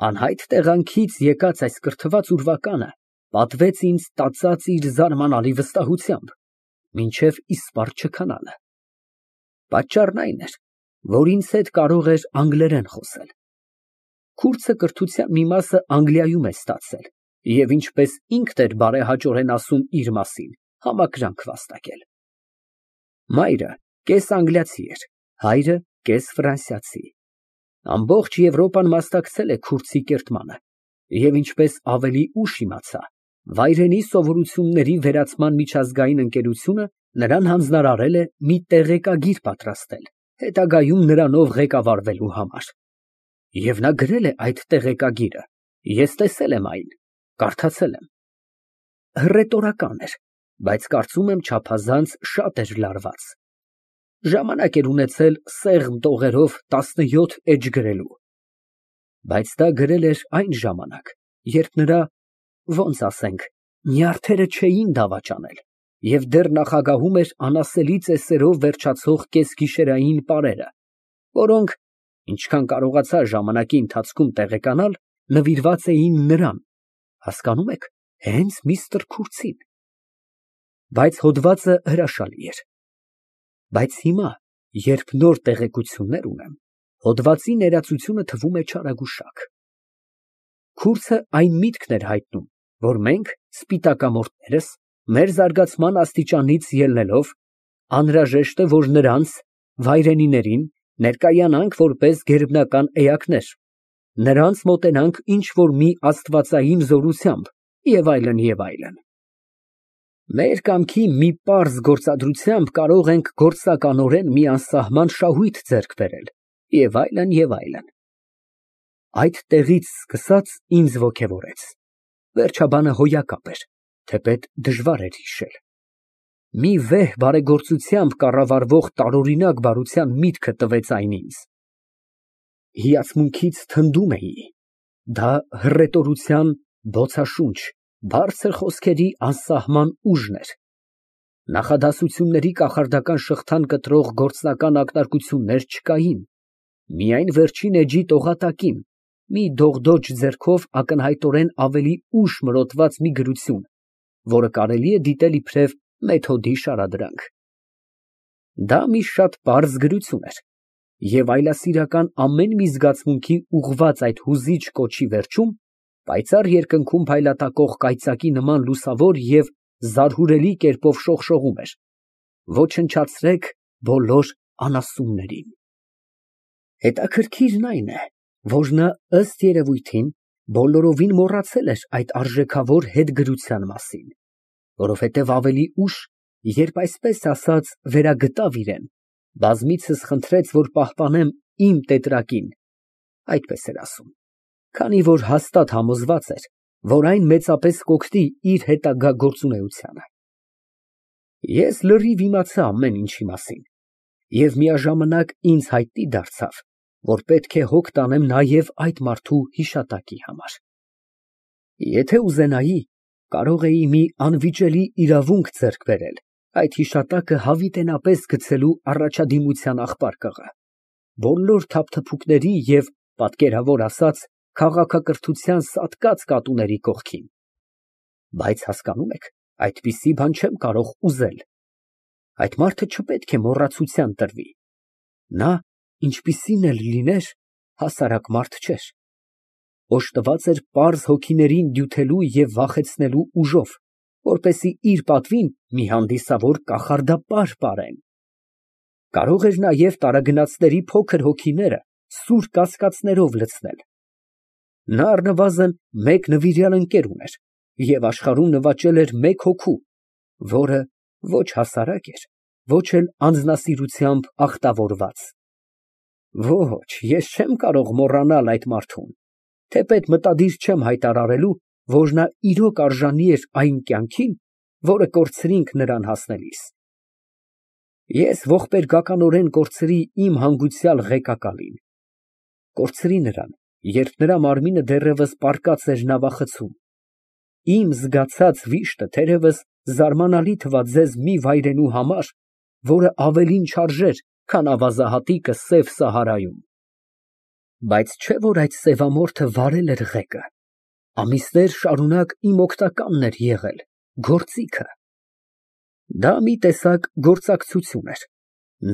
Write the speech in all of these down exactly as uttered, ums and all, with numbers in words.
Անհայտ տեղանքից եկած այս կրթված ուրվականը պատվեց ինձ տածած իր զարմանալի վստահությամբ, մինչև իսպառ չքանալը։ Պատճառն այն էր, որ ինձ հետ կարող էր անգլերեն խոսել։ Քուրդը կրթության մի մասը Անգլիայում է ստացել և, ինչպես ինքն էր բարեհաճորեն ասում իր մասին, համակրանք վաստակել։ Մայրը կես անգլիացի էր, հայրը կես ֆրանսիացի։ Ամբողջ Եվրոպան մասնակցել է քուրդի կերտմանը և, ինչպես ավելի ուշ իմացա, վայրենի սովորությունների վերացման միջազգային ընկերությունը նրան հանձնարարել է մի տեղեկագիր պատրաստել, հետագայում նրանով ղեկավարվելու համար։ Եվ նա գրել է այդ տեղեկագիրը, ես տեսել եմ այն, կարդացել եմ։ Հռետորական էր, բայց կարծում եմ չափազանց շատ էր լարված։ Ժամանակ էր ունեցել սեղմ տողերով տասնյոթ էջ գրելու։ Բայց դա գրել էր այն ժամանակ, երբ նրա, ոնց ասենք, նյարդերը չէին դավաճանել և դեռ նախագահում էր անասելի ծեսերով վերջացող կեսգիշերային պարերը, որոնք, ինչքան կարողացա ժամանակի ընթացքում տեղեկանալ, նվիրված էին նրան, հասկանում եք, հենց միստր Քուրթին։ Բայց հոդվածը հրաշալի էր։ Բայց հիմա, երբ նոր տեղեկություններ ունեմ, հոդվածի ներածությունը թվում է չարագուշակ։ Քուրթը այն միտքն էր հայտնում, որ մենք, սպիտակամորթներս, մեր զարգացման աստիճանից ելնելով, անհրաժեշտ է, որ նրանց, վայրենիներին, ներկայանանք որպես գերբնական էակներ, նրանց մոտենանք ինչ֊որ մի աստվածային զորությամբ և այլն, և այլն։ Մեր կամքի մի պարզ գործադրությամբ կարող ենք գործականորեն մի անսահման շահույթ ձեռք բերել, և այլն, և այլն։ Այդ տեղից սկսած ինձ ոգևորեց, վերջաբանը հոյակապ էր, թեպետ դժվար էր հիշել։ Մի վեհ բարեգործությամբ կառավարվող տարօրինակ բարության միտքը տվեց այն ինձ։ Հիացմունքից թնդում էի, դա հռետորության բոցաշունչ, բարձր խոսքերի անսահման ուժն էր։ Նախադասությունների կախարդական շղթան կտրող գործնական ակնարկություններ չկային, միայն վերջին էջի տողատակին, մի դողդոջ ձեռքով ակնհայտորեն ավելի ուշ մրոտված մի գրություն, որը կարելի է դիտել իբրև մեթոդի շարադրանք։ Դա մի շատ պարզ գրություն էր, և այլասիրական ամեն մի զգացմունքի ուղղված այդ հուզիչ կոչի վերջում պայծառ երկնքում փայլատակող կայծակի նման լուսավոր և զարհուրելի կերպով շողշողում էր. «Ոչնչացրեք բոլոր անասուններին»։ Հետաքրքիրն այն է, որ նա, ըստ երևույթին, բոլորովին մոռացել էր այդ արժեքավոր հետգրության մասին, որովհետև ավելի ուշ, երբ այսպես ասած վերագտավ իրեն, բազմիցս խնդրեց, որ պահպանեմ իմ տետրակին (այդպես էր ասում), քանի որ հաստատ համոզված էր, որ այն մեծապես կօգնի իր հետագա գործունեությանը։ Ես լրիվ իմացա ամեն ինչի մասին, և միաժամանակ ինձ հայտնի դարձավ, որ պետք է հոգ տանեմ նաև այդ մարդու հիշատակի համար։ Եթե ուզենայի, կարող էի մի անվիճելի իրավունք ձեռք բերել այդ հիշատակը հավիտենապես գցելու առաջադիմության աղբարկղը, բոլոր թափթփուկների և, պատկերավոր ասած, քաղաքակրթության սատկած կատուների կողքին։ Բայց հասկանում եք, այդպիսի բան չեմ կարող ուզել։ Այդ մարդը չպետք է մոռացության տրվի։ Նա, ինչպիսին էլ լիներ, հասարակ մարդ չէր։ Օժտված էր պարզ հոգիներին դյութելու և վախեցնելու ուժով, որպեսզի իր պատվին մի հանդիսավոր կախարդապար պարեն։ Կարող էր նաև տարագնացների փոքր հոգիները սուր կասկածներով լցնել։ Նա առնվազն մեկ նվիրյալ ընկեր ուներ և աշխարհում նվաճել էր մեկ հոգու, որը ոչ հասարակ էր, ոչ էլ անձնասիրությամբ ախտավորված։ Ոչ, ես չեմ կարող մոռանալ այդ մարդուն, թեպետ մտադիր չեմ հայտարարելու, որ նա իրոք արժանի էր այն կյանքին, որը կորցրինք նրան հասնելիս։ Ես ողբերգականորեն կորցրի իմ հանգուցյալ ղեկակալին։ Կորցրի նրան, երբ նրա մարմինը դեռևս պառկած էր նավախցում։ Իմ զգացած վիշտը թերևս զարմանալի թվաց ձեզ մի վայրենու համար, որը ավելին չարժեր, քան ավազահատիկը Սև Սահարայում։ Բայց չէ՞ որ այդ սևամորթը վարել էր ղեկը, ամիսներ շարունակ իմ օգնականն էր եղել, գործիքը։ Դա մի տեսակ գործակցություն էր,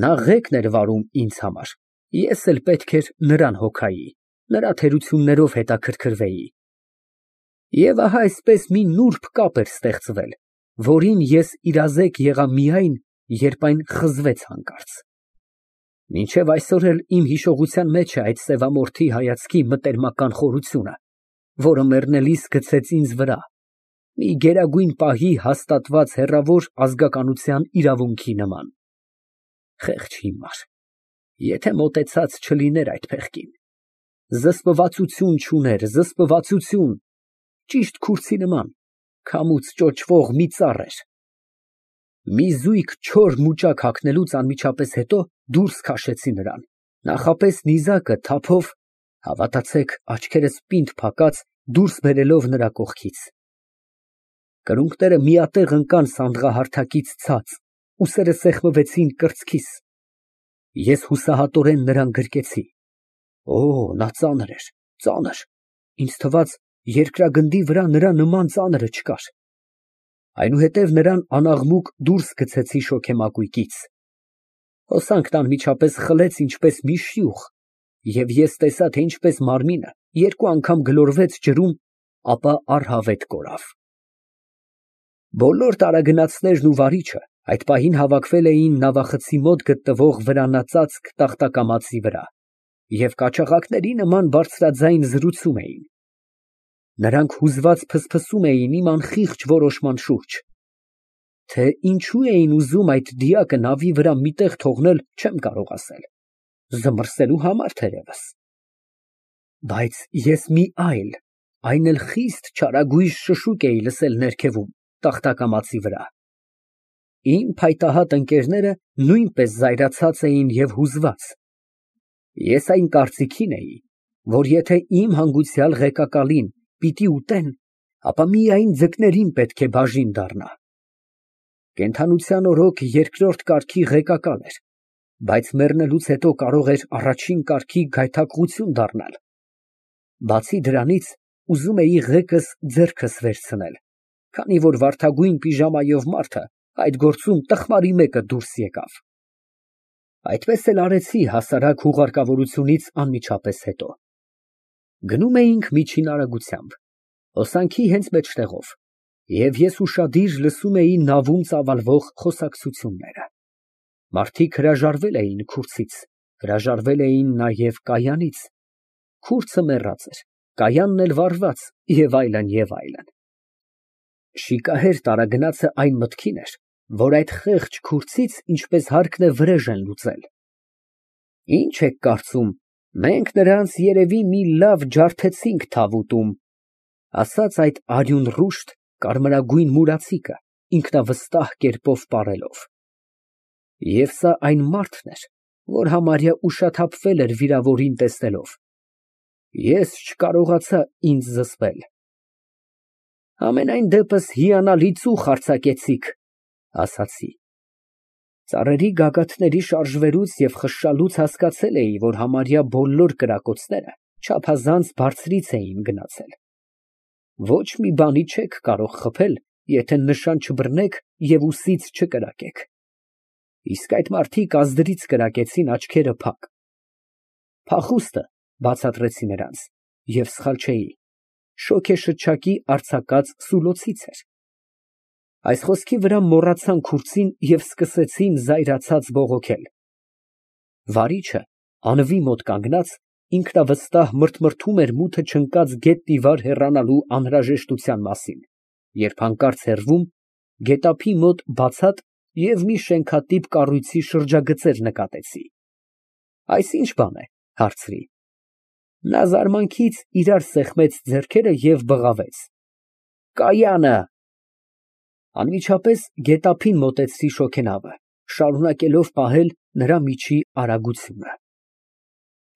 նա ղեկն էր վարում ինձ համար, ես էլ պետք էր նրան հոգայի, նրա թերություններով հետաքրքրվեի։ Եվ ահա այսպես մի նուրբ կապ էր ստեղծվել, որին ես իրազեկ եղա միայն, երբ այն խզվեց հանկարծ։ Մինչև այսօր էլ իմ հիշողության մեջ է այդ սևամորթի հայացքի մտերմական խորությունը, որը մեռնելիս գցեց ինձ վրա, մի գերագույն պահի հաստատված հեռավոր ազգականության իրավունքի նման։ Խեղճ հիմար, եթե մոտեցած չլիներ այդ փեղկին, զսպվածություն չուներ, զսպվածություն, ճիշտ քուրձի նման, քամուց ճոճվող մի ծառ էր։ Մի զույգ չոր մուճակ հագնելուց անմիջապես հետո դուրս քաշեցի նրան, նախապես նիզակը թափով, հավատացեք, աչքերս պինդ փակած դուրս բերելով նրա կողքից։ Կրունկները միատեղ ընկան սանդղահարթակից ցած, ուսերը սեղմվեցին կրծքիս։ Ես հուսահատորեն նրան գրկեցի։ Օ, նա ծանր էր, ծանր, ինձ թվաց երկրագնդի վրա նրա նման ծանրը չկար։ Այնուհետև նրան անաղմուկ դուրս գցեցի շոգեմակույկից։ Հոսանքն անմիջապես խլեց ինչպես մի շյուղ, և ես տեսա, թե ինչպես մարմինը երկու անգամ գլորվեց ջրում, ապա առհավետ կորավ։ Բոլոր տարագնացներն ու վարիչը այդ պահին հավաքվել էին նավախցի մոտ գտնվող վրանածածկ տախտակամածի վրա և կաչաղակների նման բարձրաձայն զրուցում էին։ Նրանք հուզված ֆսֆսում էին իմ անխիղճ որոշման շուրջ։ Թե ինչու էին ուզում այդ դիակը նավի վրա մի տեղ թողնել, չեմ կարող ասել, զմռսելու համար թերևս։ Բայց ես մի այլ, այն էլ խիստ չարագույժ շշուկ էի լսել ներքևում, տախտակամածի վրա։ Իմ փայտահատ ընկերները նույնպես զայրացած էին և հուզված։ Ես այն կարծիքին էի, որ եթե իմ հանգուցյալ ղեկակալին պիտի ուտեն, ապա միայն ձկներին պետք է բաժին դառնա։ Կենդանության օրոք երկրորդ կարգի ղեկակալ էր, բայց մեռնելուց հետո կարող էր առաջին կարգի գայթակղություն դառնալ։ Բացի դրանից, ուզում էի ղեկս ձեռքս վերցնել, քանի որ վարդագույն պիժամայով մարդը այդ գործում տխմարի մեկը դուրս եկավ։ Այդպես էլ արեցի հասարակ հուղարկավորությունից անմիջապես հետո։ Գնում էինք միջին արագությամբ, հոսանքի հենց մեջտեղով, և ես ուշադիր լսում էի նավում ծավալվող խոսակցությունները։ Մարդիկ հրաժարվել էին քուրձից, հրաժարվել էին նաև կայանից, քուրձը մեռած էր, կայանն էլ վառված և այլն, և այլն։ Շիկահեր տարագնացը այն մտքին էր, որ այդ խեղճ քուրձից ինչպես հարկն է վրեժ են լուծել։ Ինչ եք կարծում, մենք նրանց երևի մի լավ ջարդեցինք թավուտում, ասաց այդ արյունռուշտ, կարմրագույն մուրացիկը, ինքնավստահ կերպով պարելով։ Եվ սա այն մարդն էր, որ համարյա ուշաթափվել էր վիրավորին տեսնելով։ Ես չկարողացա ինձ զսպել։ Համենայն դեպս հիանալի ծուխ արձակեցիք, ասացի։ Ծառերի գագաթների շարժվելուց և խշշալուց հասկացել էի, որ համարյա բոլոր կրակոցները չափազանց բարձրից էին գնացել։ Ոչ մի բանի չեք կարող խփել, եթե նշան չբռնեք և ուսից չկրակեք։ Իսկ այդ մարդիկ ազդրից կրակեցին աչքերը փակ։ Փախուստը, բացատրեցի նրանց, և սխալ չէի, շոգեշչակի արձակած սուլոցից էր։ Այս խոսքի վրա մոռացան քուրձին և սկսեցին զայրացած բողոքել։ Վարիչը, անվի մոտ կանգնած, ինքնավստահ մրթմրթում էր մութը չընկած գետնի վար հեռանալու անհրաժեշտության մասին, երբ հանկարծ հեռվում, գետափի մոտ բացատ և մի շենքատիպ կառույցի շրջագծեր նկատեցի։ Այս ի՞նչ բան է, հարցրի։ Նա զարմանքից իրար սեղմեց ձեռքերը և բղավեց. Կայանը։ Անմիջապես գետափին մոտեցրի շոգենավը, շարունակելով պահել նրա միջի արագությունը։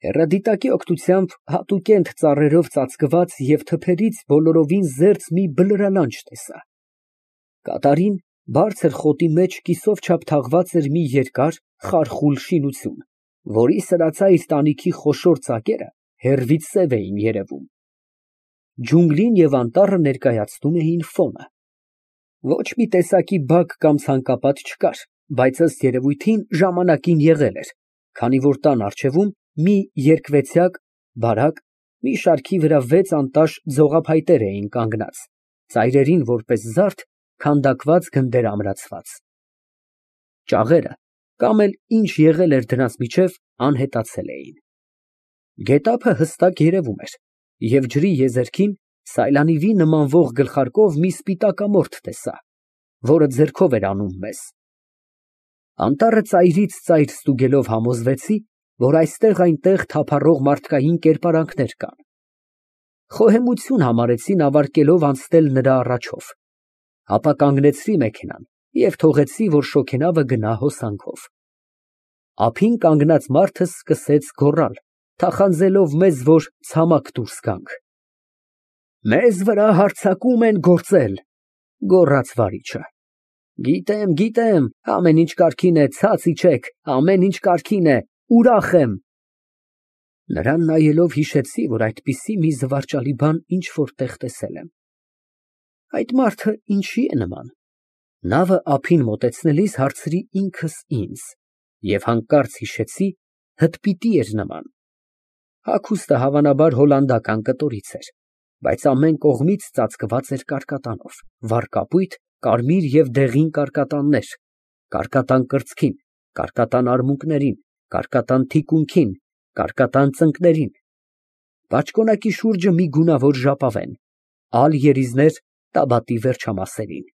Հեռադիտակի օգնությամբ հատուկենտ ծառերով ծածկված և թփերից բոլորովին զերծ մի բլրալանջ տեսա։ Կատարին բարձր խոտի մեջ կիսով չափ թաղված էր մի երկար, խարխուլ շինություն, որի սրածայր տանիքի խոշոր ծակերը հեռվից սև էին երևում։ Ջունգլին և անտառը ներկայացնում էին ֆոնը։ Ոչ մի տեսակի բակ կամ ցանկապատ չկար, բայց ըստ երևույթին ժամանակին եղել էր, քանի որ տան առջևում մի երկվեցյակ բարակ, մի շարքի վրա վեց անտաշ ձողափայտեր էին կանգնած, ծայրերին որպես զարդ քանդակված գնդեր ամրացված։ Ճաղերը կամ էլ ինչ եղել էր դրանց միջև անհետացել էին։ Գետափը հստակ երևում էր, և ջրի եզերքին սայլանիվի նմանվող գլխարկով մի սպիտակամորթ տեսա, որը ձեռքով էր անում մեզ։ Անտառը ծայրից ծայր ստուգելով համոզվեցի, որ այստեղ֊այնտեղ թափառող մարդկային կերպարանքներ կան։ Խոհեմություն համարեցի նավարկելով անցնել նրա առաջով, ապա կանգնեցրի մեքենան և թողեցի, որ շոգենավը գնա հոսանքով։ Ափին կանգնած մարդը սկսեց գոռալ, թախանձելով մեզ, որ ցամաք դուրս գանք։ «Մեզ վրա հարձակում են գործել», գոռաց վարիչը։ Գիտեմ, գիտեմ, ամեն ինչ կարգին է, ցած իջեք, ամեն ինչ կարգին է, ուրախ եմ։ Նրան նայելով հիշեցի, որ այդպիսի մի զվարճալի բան ինչ֊որ տեղ տեսել եմ։ Այդ մարդը ինչի է նման։ Նավը ափին մոտեցնելիս հարցրի ինքս ինձ և հանկարծ հիշեցի հդպիտի էր նման։ Հագուստը հավանաբար հոլանդական կտորից էր, բայց ամեն կողմից ծածկված էր կարկատանով, վառ կապույտ, կարմիր և դեղին կարկատաններ, կարկատան կրծքին, կարկատան արմունկներին, կարկատան թիկունքին, կարկատան ծնկներին, բաճկոնակի շուրջը մի գունավոր ժապավեն, ալ երիզներ տաբատի վերջամասերին։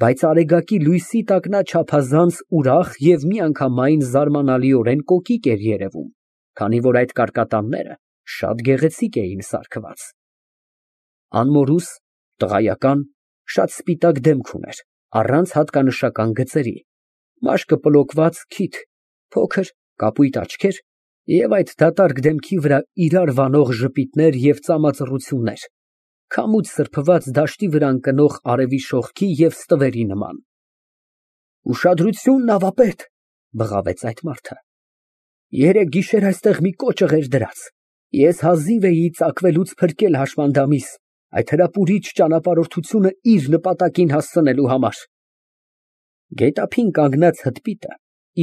Բայց արեգակի լույսի տակ նա չափազանց ուրախ և միանգամայն զարմանալիորեն կոկիկ էր երևում, քանի որ այդ կարկատանները շատ գեղեցիկ էին սարքված։ Անմորուս, տղայական, շատ սպիտակ դեմք ուներ, առանց հատկանշական գծերի, մաշկը պլոկված քիթ, փոքր, կապույտ աչքեր և այդ դատարկ դեմքի վրա իրար վանող ժպիտներ և ծամածռություններ, քամուց սրբված դաշտի վրա ընկնող արևի շողքի և ստվերի նման։ «Ուշադրություն, նավապետ», բղավեց այդ մարդը, «երեկ գիշեր այստեղ մի կոճղ էր դրած, ես հազիվ էի ծակվելուց փրկել հաշմանդամիս, այդ հրապուրիչ ճանապարհորդությունը իր նպատակին հասցնելու համար»։ Գետափին կանգնած հդպիտը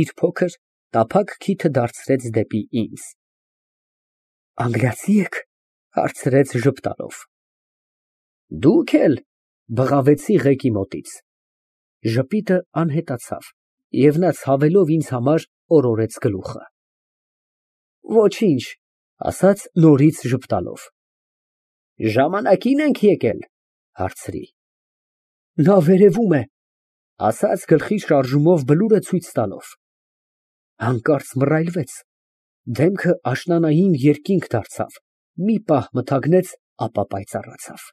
իր փոքր, տափակ քիթը դարձրեց դեպի ինձ։ «Անգլիացի եք, հարցրեց ժպտալով։ Դուք էլ, բղավեցի ղեկի մոտից։ Ժպիտը անհետացավ, և նա ցավելով ինձ համար օրորեց գլուխը։ Ոչինչ, ասաց նորից ժպտալով։ Ժամանակի՞ն ենք եկել, հարցրի։ Նա վերևում է, ասաց գլխի շարժումով բլուրը ցույց տալով։ Հանկարծ մռայլվեց, դեմքը աշնանային երկինք դարձավ, մի պահ մթագնեց, ապա պայծառացավ։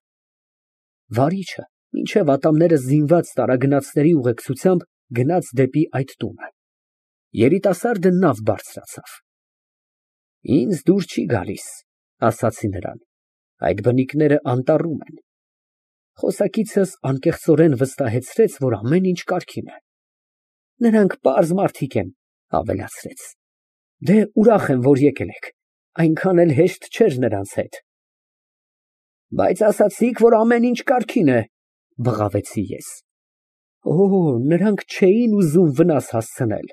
Վարիչը, մինչև ատամները զինված տարագնացների ուղեկցությամբ գնաց դեպի այդ տունը։ Երիտասարդը նավ բարձրացավ։ Ինձ դուր չի գալիս, ասացի նրան, այդ բնիկները անտառում են։ Խոսակիցս անկեղծորեն վստահեցրեց, որ ամեն ինչ կարգին է։ Նրանք պարզ մարդիկ են, ավելացրեց։ Դե ուրախ եմ, որ եկել եք, այնքան էլ հեշտ չէր նրանց հետ։ Բայց ասացիք, որ ամեն ինչ կարգին է, բղավեցի ես։ Օ, նրանք չէին ուզում վնաս հասցնել,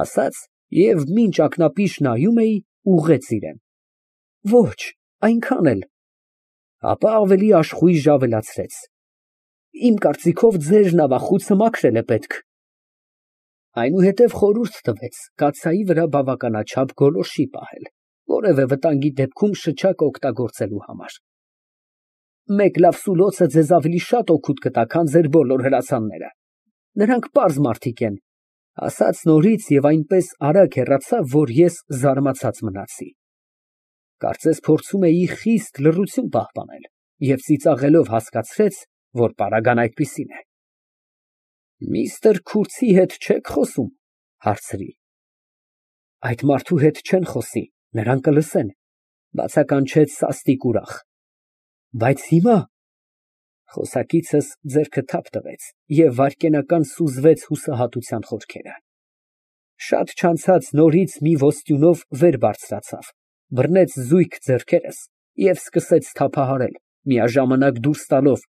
ասաց և մինչ ակնապիշ նայում էի, ուղղեց իրան։ Ոչ, այնքան էլ։ Ապա ավելի աշխույժ ավելացրեց. Իմ կարծիքով ձեր նավախուցը մաքրել է պետք։ Այնուհետև խորհուրդ տվեց կաթսայի վրա բավականաչափ գոլորշի պահել, որևէ վտանգի դեպքում շչակը օգտագործելու համար։ Մեկ լավ սուլոցը ձեզ ավելի շատ օգուտ կտա, քան ձեր բոլոր հրացանները։ Նրանք պարզ մարդիկ են, ասաց նորից և այնպես արագ հեռացավ, որ ես զարմացած մնացի։ Կարծես փորձում էի խիստ լռություն պահպանել և ծիծաղելով հասկացրեց, որ պարագան այդպիսին է։ Միստր Քուրցի հետ չե՞ք խոսում, հարցրի։ Այդ մարդու հետ չեն խոսի, նրան կլսեն, բացականչեց սաստիկ ուրախ։ Բայց հիմա… Խոսակիցս ձեռքը թափ տվեց և վայրկենական սուզվեց հուսահատության խորքերը։ Շատ չանցած նորից մի ոստյունով վեր բարձրացավ, բռնեց զույգ ձեռքերս և սկսեց թափահարել, միաժամանակ դուրս տալով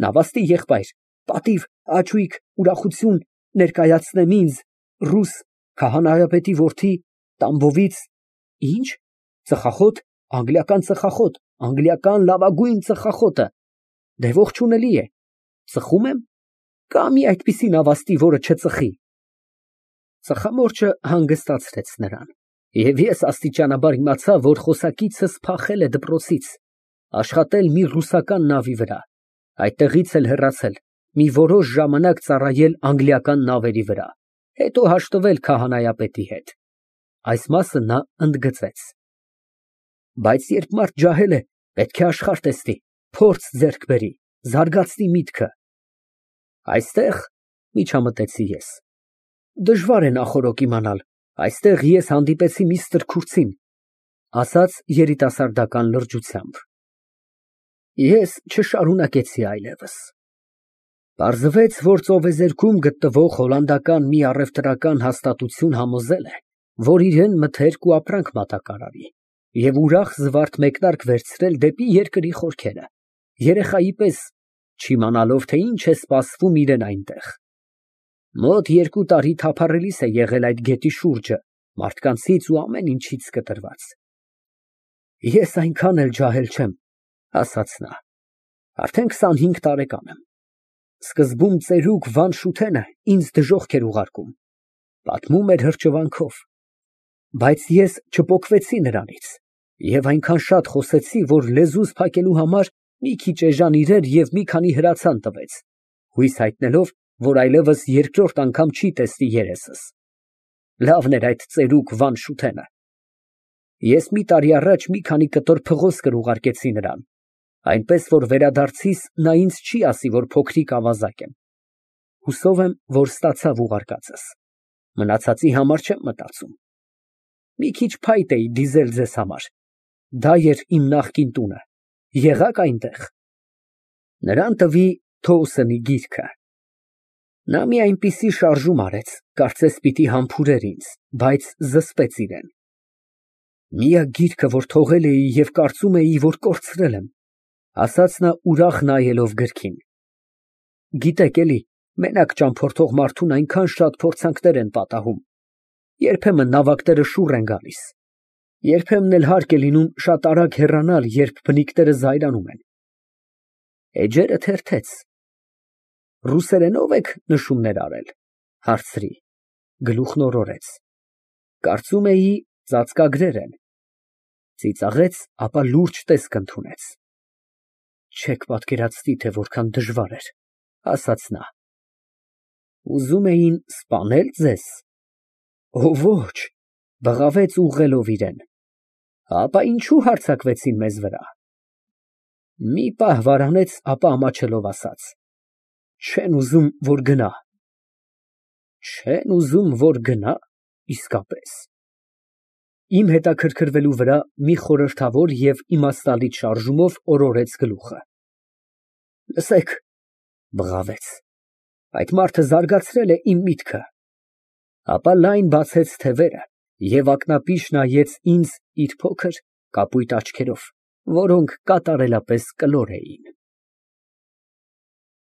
նավաստի եղբայր, պատիվ, հաճույք, ուրախություն ներկայացնեմ ինձ, ռուս քահանայապետի որդի Տամբովից, ի՞նչ, ծխախոտ, անգլիական ծխախոտ, անգլիական լավագույն ծխախոտը, դե ողջունելի է, ծխո՞ւմ եմ, կա՞ մի այդպիսի նավաստի, որը չծխի։ Ծխամորճը հանգստացրեց նրան, և ես աստիճանաբար իմացա, որ խոսակիցս փախել է դպրոցից, աշխատել մի ռուսական նավի վրա, այդտեղից էլ հեռացել, մի որոշ ժամանակ ծառայել անգլիական նավերի վրա, հետո հաշտվել քահանայապետի հետ։ Այս մասը նա ընդգծեց։ Բայց երբ մարդ ջահել է, պետք է աշխարհ տեսնի, փորձ ձեռք բերի, զարգացնի միտքը։ Այստեղ, միջամտեցի ես, դժվար է նախօրոք իմանալ, այստեղ ես հանդիպեցի մի ստրքուցին, ասաց երիտասարդական լրջությամբ։ Ես չշարունակեցի այլևս։ Պարզվեց, որ ծովեզերքում գտնվող հոլանդական մի առևտրական հաստատություն համոզել է, որ իրան մթերք ու ապրանք մատակարարի, և ուրախ զվարթ մեկնարկ վերցրել դեպի երկրի խորքերը, երեխայի պես չիմանալով, թե ինչ է սպասվում իրան այնտեղ։ Մոտ երկու տարի թափառելիս է եղել այդ գետի շուրջը, մարդկանցից ու ամեն ինչից կտրված։ Ես այնքան էլ ջահել չեմ, ասաց նա, արդեն քսանհինգ տարեկան եմ։ Սկզբում ծերուկ Վան Շութենը ինձ դժոխք էր ուղարկում, պատմում էր հրճվանքով, բայց ես չպոկվեցի նրանից և այնքան շատ խոսեցի, որ լեզուս փակելու համար մի քիչ էժան իրեր և մի քանի հրացան տվեց, հույս հայտնելով, որ այլևս երկրորդ անգամ չի տեսնի երեսս։ Լավն էր այդ ծերուկ Վան Շութենը։ Ես մի տարի առաջ մի քանի կտոր փղոսկր ուղարկեցի նրան, այնպես որ վերադարձիս նա ինձ չի ասի, որ փոքրիկ ավազակ եմ։ Հուսով եմ, որ ստացավ ուղարկածս, մնացածի համար չեմ մտածում։ Մի քիչ փայտ էի դիզել ձեզ համար, դա էր իմ նախկին տունը, եղա՞ք այնտեղ։ Նրան տվի Թոուսենի գիրքը։ Նա մի այնպիսի շարժում արեց, կարծես պիտի համբուրեր ինձ, բայց զսպեց իրան։ Միակ գիրքը, որ թողել էի և կարծում էի, որ կորցրել եմ, ասաց նա ուրախ նայելով գրքին։ Գիտեք էլի, մենակ ճամփորդող մարդուն այնքան շատ փորձանքներ են պատահում, երբեմն նավակները շուռ են գալիս, երբեմն էլ հարկ է լինում շատ արագ հեռանալ, երբ բնիկները զայրանում են։ Էջերը թերթեց։ Ռուսերենո՞վ եք նշումներ արել, հարցրի, գլուխն օրորեց։ Կարծում էի ծածկագրեր են։ Ծիծաղեց, ապա լուրջ տեսք ընդունեց։ Չեք պատկերացնի, թե որքան դժվար էր, ասաց նա։ Ուզում էին սպանե՞լ ձեզ։ Օ, ոչ, բղավեց ուղղելով իրան։ Ապա ինչու հարձակվեցին մեզ վրա։ Մի պահ վարանեց, ապա ամաչելով ասաց. Չեն ուզում, որ գնա։ Չեն ուզում, որ գնա, իսկապես։ Իմ հետաքրքրվելու վրա մի խորհրդավոր և իմաստալից շարժումով օրորեց գլուխը։ Լսեք, բղավեց, այդ մարդը զարգացրել է իմ միտքը։ Ապա լայն բացեց թևերը և ակնապիշ նայեց ինձ իր փոքր կապույտ աչքերով, որոնք կատարելապես կլոր էին։